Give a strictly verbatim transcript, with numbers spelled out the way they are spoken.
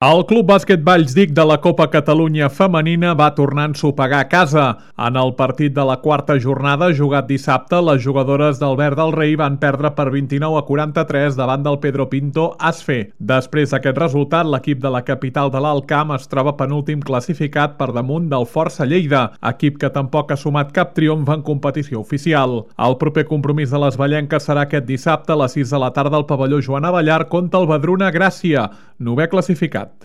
El Club Bàsquet Vallsdic de la Copa Catalunya Femenina va tornar a ensopegar a casa. En el partit de la quarta jornada, jugat dissabte, les jugadores del Verd del Rei van perdre per vint-i-nou a quaranta-tres davant del Pedro Pinto Asfe. Després d'aquest resultat, l'equip de la capital de l'Alt Camp es troba penúltim classificat per damunt del Força Lleida, equip que tampoc ha sumat cap triomf en competició oficial. El proper compromís de les ballenques serà aquest dissabte a les sis de la tarda al pavelló Joan Abellar contra el Vedruna Gràcia, novè classificat.